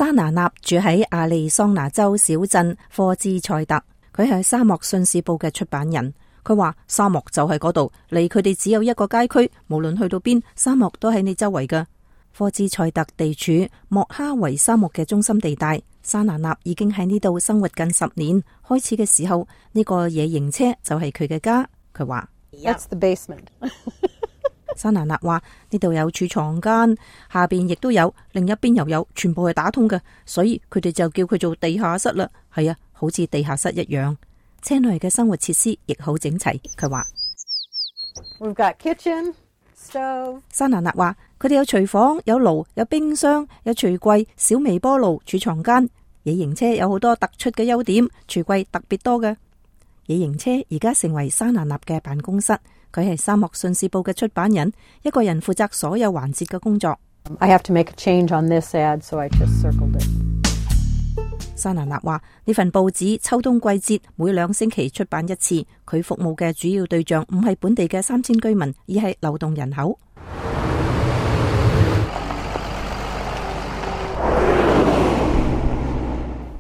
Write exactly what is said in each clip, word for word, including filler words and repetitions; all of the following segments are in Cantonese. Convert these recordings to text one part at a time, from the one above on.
沙拿納住喺亞利桑那州小鎮科茲塞特，佢係沙漠信使報嘅出版人。佢話沙漠就係嗰度，離佢哋只有一個街區，無論去到邊，沙漠都喺你周圍㗎。科茲塞特地處莫哈維沙漠嘅中心地帶，沙拿納已經喺呢度生活近十年。開始嘅時候，呢、這個野營車就係佢嘅家。佢話 That's the basement. 沙拿納話呢度有儲藏間，下邊亦都有，另一邊又有，全部係打通嘅，所以佢哋就叫佢做地下室啦。係啊，好似地下室一樣。車內嘅生活設施亦好整齊。佢話 We've got kitchen, stove. 沙拿納話佢哋有廚房、有爐、有冰箱、有櫥櫃、小微波爐、儲藏間。野營車有好多突出嘅優點，櫥櫃特別多嘅。野營車而家成為沙拿納嘅辦公室。佢係沙漠信使報嘅出版人，一個人負責所有環節嘅工作。I have to make a change on this ad, so I just circled it. 沙拿納話呢份報紙秋冬季節每兩星期出版一次。佢服務嘅主要對象唔係本地嘅三千居民，而係流動人口。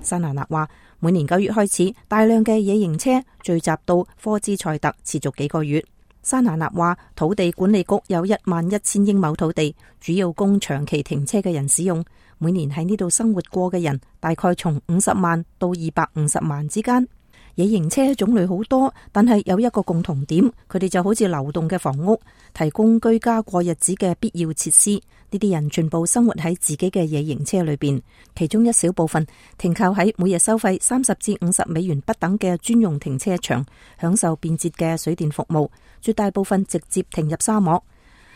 沙拿納話每年九月開始，大量嘅野營車聚集到科茲塞特，持續幾個月。沙拿納話土地管理局有一萬一千英畝土地，主要供長期停車嘅人使用。每年喺呢度生活過嘅人大概從五十萬到二百五十萬之間。野營車種類好多，但係有一個共同點，佢哋就好似流動嘅房屋，提供居家過日子嘅必要設施。呢啲人全部生活喺自己嘅野營車裏邊，其中一小部分停靠喺每日收費三十至五十美元不等嘅專用停車場，享受便捷嘅水電服務。絕大部分直接停入沙漠。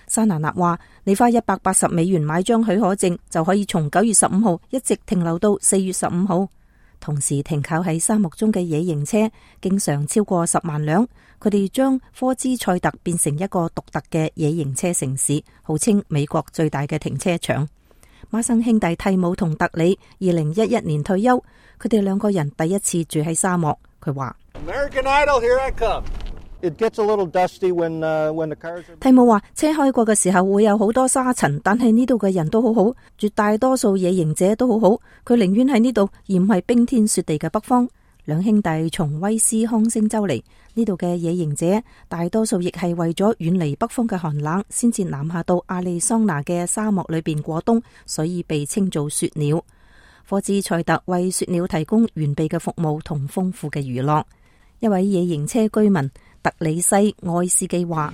沙拿納話你花一百八十美元買張許可證，就可以從九月十五號一直停留到四月十五號。同時停靠喺沙漠中嘅野營車經常超過十萬輛，佢哋將科茲塞特變成一個獨特嘅野營車城市，號稱美國最大嘅停車場。孖生兄弟蒂姆同特里二零一一年退休，佢哋兩個人第一次住喺沙漠。佢話蒂姆話車開過嘅時候會有好多沙塵，但係呢度嘅人都好好，絕大多數野營者都好好，佢寧願喺呢度而唔係冰天雪地嘅北方。兩兄弟從威斯康星州嚟，呢度嘅野營者大多數亦係為咗遠離北方嘅寒冷，先至南下到亞利桑那嘅沙漠裏邊過冬，所以被稱做雪鳥。科茲塞特為雪鳥提供完備嘅服務同豐富嘅娛樂。一位野營車居民特里西愛斯基話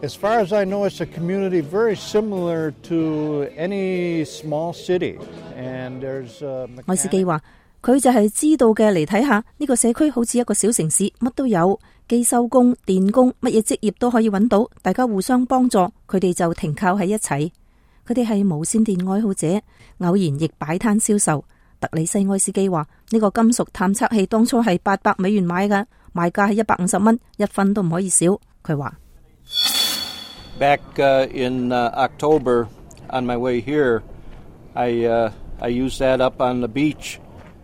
：As far as I know, it's a community very similar to any small city. And there's 愛斯基話佢就係知道嘅，嚟睇下呢個社區好似一個小城市，乜都有，機修工、電工，乜嘢職業都可以揾到，大家互相幫助，佢哋就停靠喺一齊。佢哋係無線電愛好者，偶然亦擺攤銷售。特里西愛斯基話呢個金屬探測器當初係八百美元買嘅，賣價係一百五十蚊，一分都唔可以少。佢話 Back in October on my way here, I I used that up on the beach.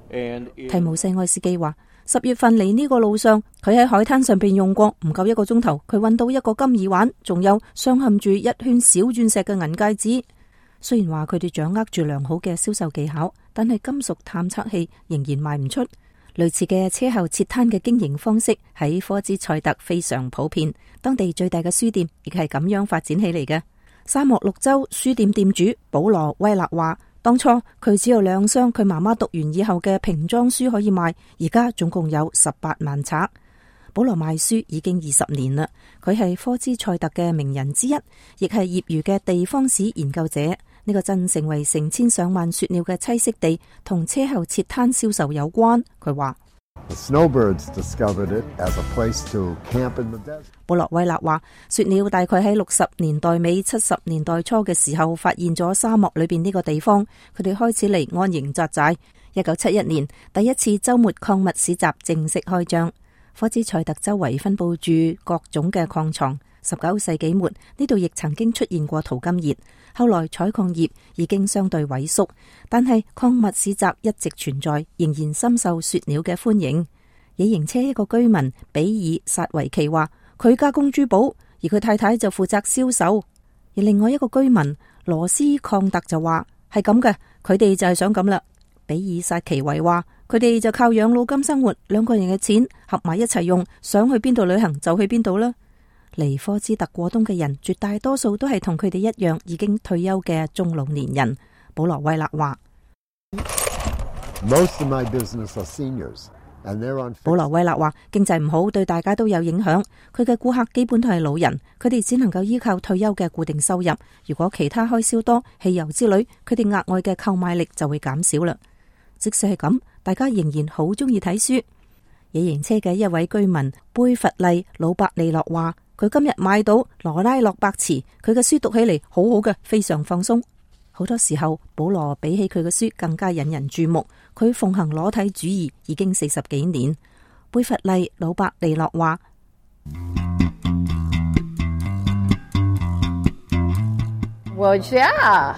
提姆西愛斯基話十月份嚟呢個路上，佢喺海灘上邊用過，唔夠一個鐘頭，佢揾到一個金耳環，仲有鑲嵌住一圈小鑽石嘅銀戒指。雖然話佢哋掌握住良好嘅銷售技巧，但係金屬探測器仍然賣唔出。類似嘅車後設攤嘅經營方式喺科茲塞特非常普遍，當地最大嘅書店亦係咁樣發展起嚟嘅。沙漠綠洲書店店主保羅威勒話，當初佢只有兩箱佢媽媽讀完以後嘅瓶裝書可以賣，而家總共有十八萬冊。保羅賣書已經二十年啦，佢係科茲塞特嘅名人之一，亦係業餘嘅地方史研究者。呢個鎮成為成千上萬雪鳥嘅棲息地，同車後設攤銷售有關。佢話保羅威勒話，雪鳥大概喺六十年代尾、七十年代初嘅時候發現咗沙漠裏邊呢個地方，佢哋開始嚟安營紮寨。一九七一年，第一次周末礦物市集正式開張。科茲塞特周圍分佈住各種嘅礦床。十九世紀末，呢度亦曾經出現過淘金熱，後來採礦業已經相對萎縮，但係礦物市集一直存在，仍然深受雪鳥嘅歡迎。野營車一個居民比爾薩維奇話，佢加工珠寶，而佢太太就負責銷售。而另外一個居民羅斯礦特就話，係咁嘅，佢哋就係想咁啦。比爾薩奇維話，佢哋就靠養老金生活，兩個人嘅錢合埋一齊用，想去邊度旅行就去邊度啦。嚟科茲特過冬嘅人，絕大多數都係同佢哋一樣已經退休嘅中老年人。保羅威勒話。Most of my business are seniors, and they're on. 保羅威勒話，經濟唔好對大家都有影響，佢嘅顧客基本都係老人，佢哋只能夠依靠退休嘅固定收入。如果其他開銷多，汽油之類，佢哋額外嘅購買力就會減少啦。即使係咁，大家仍然好中意睇書。野營車嘅一位居民貝弗利魯伯利諾話，佢今日買到羅拉洛伯茨，佢嘅書讀起嚟好好嘅，非常放鬆。好多時候，保羅比起佢嘅書更加引人注目。佢奉行裸體主義已經四十幾年。貝弗利魯伯利諾話。Well, yeah.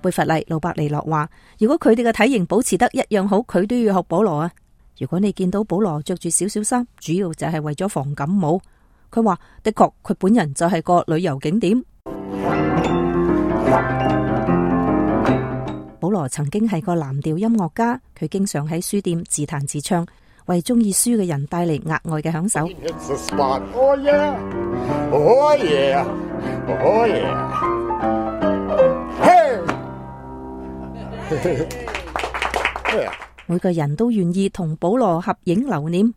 貝弗利魯伯利諾話，如果佢哋嘅體型保持得一樣好，佢都要學保羅啊。如果你見到保羅着住少少衫，主要就係為咗防感冒。佢話的確，佢本人就係個旅遊景點。保羅曾經係個藍調音樂家，佢經常喺書店自彈自唱，為中意書嘅人帶嚟額外嘅享受。Oh yeah, oh yeah, oh yeah. Hey. 每個人都願意同保羅合影留念。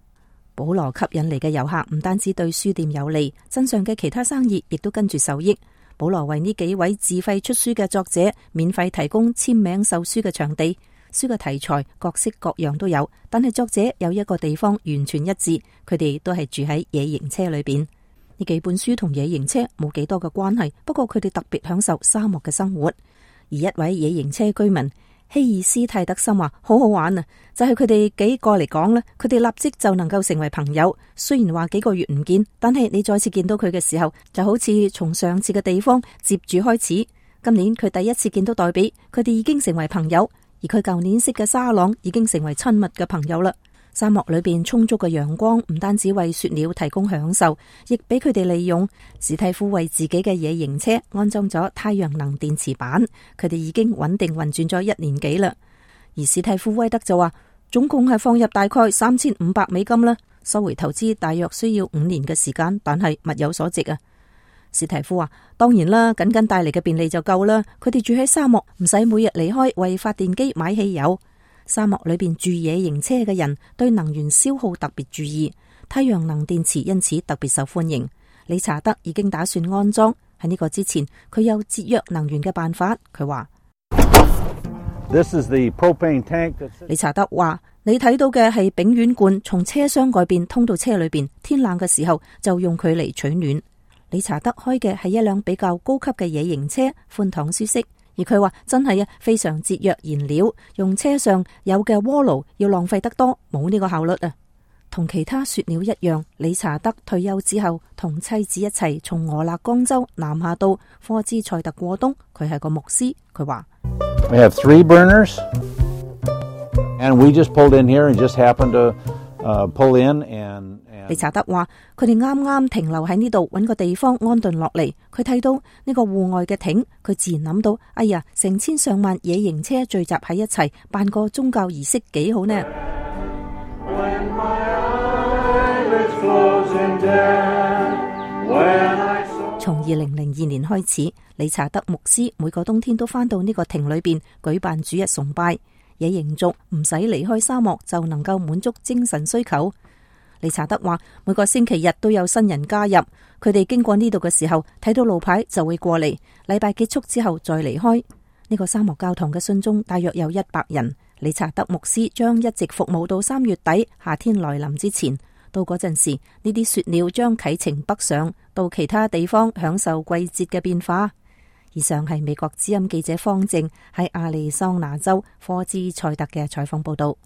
保羅吸引嚟嘅遊客唔單止對書店有利，鎮上嘅其他生意亦都跟住受益。保羅為呢幾位自費出書嘅作者免費提供簽名售書嘅場地，書嘅題材各式各樣都有，但係作者有一個地方完全一致，佢哋都係住喺野營車裏邊。呢幾本書同野營車冇幾多嘅關係，不過佢哋特別享受沙漠嘅生活。而一位野營車居民希爾斯泰德森話好好玩啊，就係佢哋幾個嚟講呢，佢哋立即就能夠成為朋友。雖然話幾個月唔見，但係你再次見到佢嘅時候，就好似從上次嘅地方接住開始。今年佢第一次見到黛比，佢哋已經成為朋友，而佢舊年識嘅沙朗已經成為親密嘅朋友啦。沙漠裏邊充足嘅陽光唔單止為雪鳥提供享受，亦俾佢哋利用。史蒂夫為自己嘅野營車安裝咗太陽能電池板，佢哋已經穩定運轉咗一年幾啦。而史蒂夫威德就話，總共係放入大概三千五百美金啦，收回投資大約需要五年嘅時間，但係物有所值啊。史蒂夫話，當然啦，僅僅帶嚟嘅便利就夠啦。佢哋住喺沙漠，唔使每日離開為發電機買汽油。沙漠裏邊住野營車嘅人對能源消耗特別注意，太陽能電池因此特別受歡迎。理查德已經打算安裝，喺呢個之前，佢有節約能源嘅辦法。佢話This is the propane tank. 理查德話，你睇到嘅係丙烷罐，從車廂外邊通到車裏邊，天冷嘅時候就用佢嚟取暖。理查德開嘅係一輛比較高級嘅野營車，寬敞舒適。而佢話真係啊，非常節約燃料，用車上有嘅鍋爐要浪費得多，冇呢個效率啊。同其他雪鳥一樣，理查德退休之後，同妻子一齊從俄勒岡州南下到科茲塞特過冬。佢係個牧師，佢話We have three burners, and we just pulled in here and just happened to uh, pull in and. 理查德話佢哋啱啱停留喺呢度，揾個地方安頓落嚟。佢睇到呢個戶外嘅亭，佢自然諗到，哎呀，成千上萬野營車聚集喺一齊，辦個宗教儀式幾好呢？從二零零二年開始，理查德牧師每個冬天都返到呢個亭裏邊舉辦主日崇拜。野營族唔使離開沙漠就能夠滿足精神需求。理查德話每個星期日都有新人加入，佢哋經過呢度嘅時候睇到路牌就會過嚟，禮拜結束之後再離開。呢個沙漠教堂嘅信眾大約有一百人。理查德牧師將一直服務到三月底夏天來臨之前，到嗰陣時呢啲雪鳥將啟程北上到其他地方享受季節嘅變化。以上係美國之音記者方正喺亞利桑那州科茲塞特嘅採訪報道。